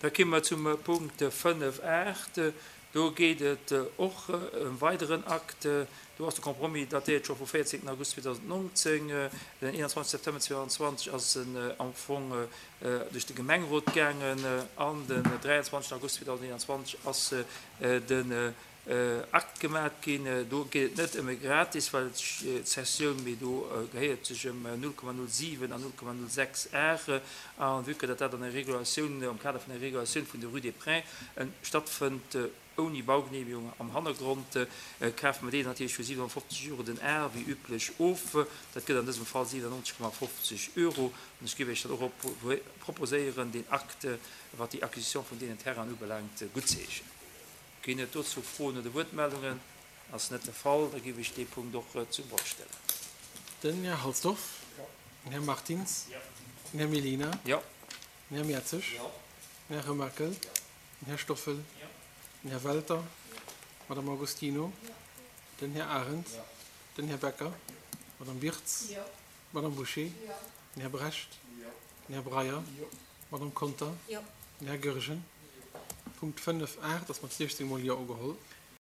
Da komme mer zum Punkt 5, 8. Do geet et och ëm weideren Akt. Do ass de Compromis datéiert scho vum 14 August 2019. Den 21 September 2020 ass en am Fong duerch de Gemengerot gaangen an den 23 August 2021 ass den Akt gemat ginn. Do geet et net ëm e gratis, well d'Cessioun, mee do gehéiert sech ëm 0,07 an 0,06 Ar. A vue que datt dat an der Regulatioun, am Kader vun der Regulatioun vun der Rue des Prés stattfënnt, ouni Baugenehmigung am Hannergrond, kafe mer deen natierlech fir 750 Euro den Ar, wéi üblech, of. Dat gëtt an dësem Fall 97,50 Euro. An ech géif Iech dann och proposéieren, deen Akt, wat déi Acquisition vun deenen Terrainen ubelaangt, guttzeheeschen. Ginn et dozou Froen oder Wuertmeldungen? Ass net de Fall, da géif ech dee Punkt och zum Vott stellen. Den Här Halsdorf. Den Här Martins. Den Här Mellina. Den Här Mertzig. Den Här Remakel. Den Här Stoffel. Den Här Welter. D'Madame Agostino. Den Här Arendt. Den Här Becker. D'Madame Birtz. D'Madame Bouché. Den Här Brecht. Den Här Breyer. D'Madame Conter. Den Här Goergen. Punkt 5, 8 ass mat 16 mol Jo ugeholl.